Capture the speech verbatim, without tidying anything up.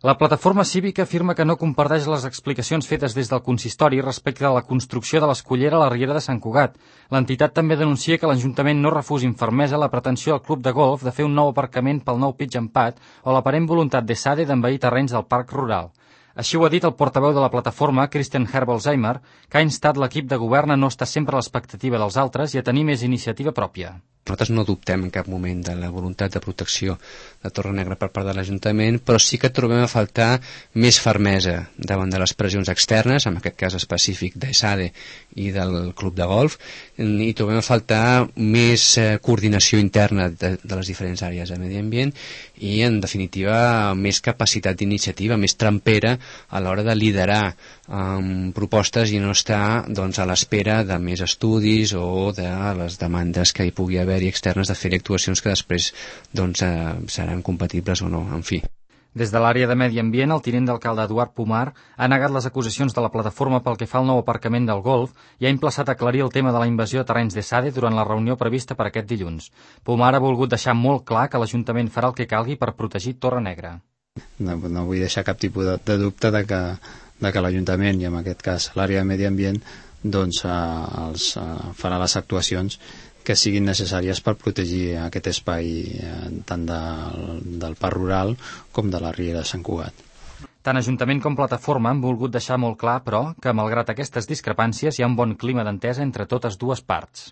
La plataforma cívica afirma que no comparteix les explicacions fetes des del consistori respecte a la construcció de l'escullera a la riera de Sant Cugat. L'entitat també denuncia que l'Ajuntament no refusi amb fermesa la pretensió del club de golf de fer un nou aparcament pel nou Pitch and Pad o l'aparent voluntat d'ESADE d'envair terrenys del parc rural. Així ho ha dit el portaveu de la plataforma, Christian Herbolzheimer, que ha instat l'equip de govern a no estar sempre a l'expectativa dels altres i a tenir més iniciativa pròpia. Nosaltres no dubtem en cap moment de la voluntat de protecció de Torrenegra per part de l'Ajuntament, però sí que trobem a faltar més fermesa davant de les pressions externes, en aquest cas específic d'ESADE i del club de golf, i trobem a faltar més eh, coordinació interna de, de les diferents àrees de medi ambient i, en definitiva, més capacitat d'iniciativa, més trampera a l'hora de liderar um, propostes i no estar doncs, a l'espera de més estudis o de les demandes que hi pugui haver i externes de fer actuacions que després doncs, eh, seran compatibles o no, en fi. Des de l'àrea de Medi Ambient, el tinent d'alcalde Eduard Pomar ha negat les acusacions de la plataforma pel que fa al nou aparcament del golf i ha emplaçat a aclarir el tema de la invasió de terrenys d'ESADE durant la reunió prevista per aquest dilluns. Pomar ha volgut deixar molt clar que l'Ajuntament farà el que calgui per protegir Torrenegra. No, no vull deixar cap tipus de, de dubte de que, de que l'Ajuntament, i en aquest cas l'àrea de Medi Ambient, doncs, eh, els, eh, farà les actuacions que siguin necessàries per protegir aquest espai eh, tant del, del parc rural com de la riera de Sant Cugat. Tant Ajuntament com plataforma han volgut deixar molt clar, però, que malgrat aquestes discrepàncies hi ha un bon clima d'entesa entre totes dues parts.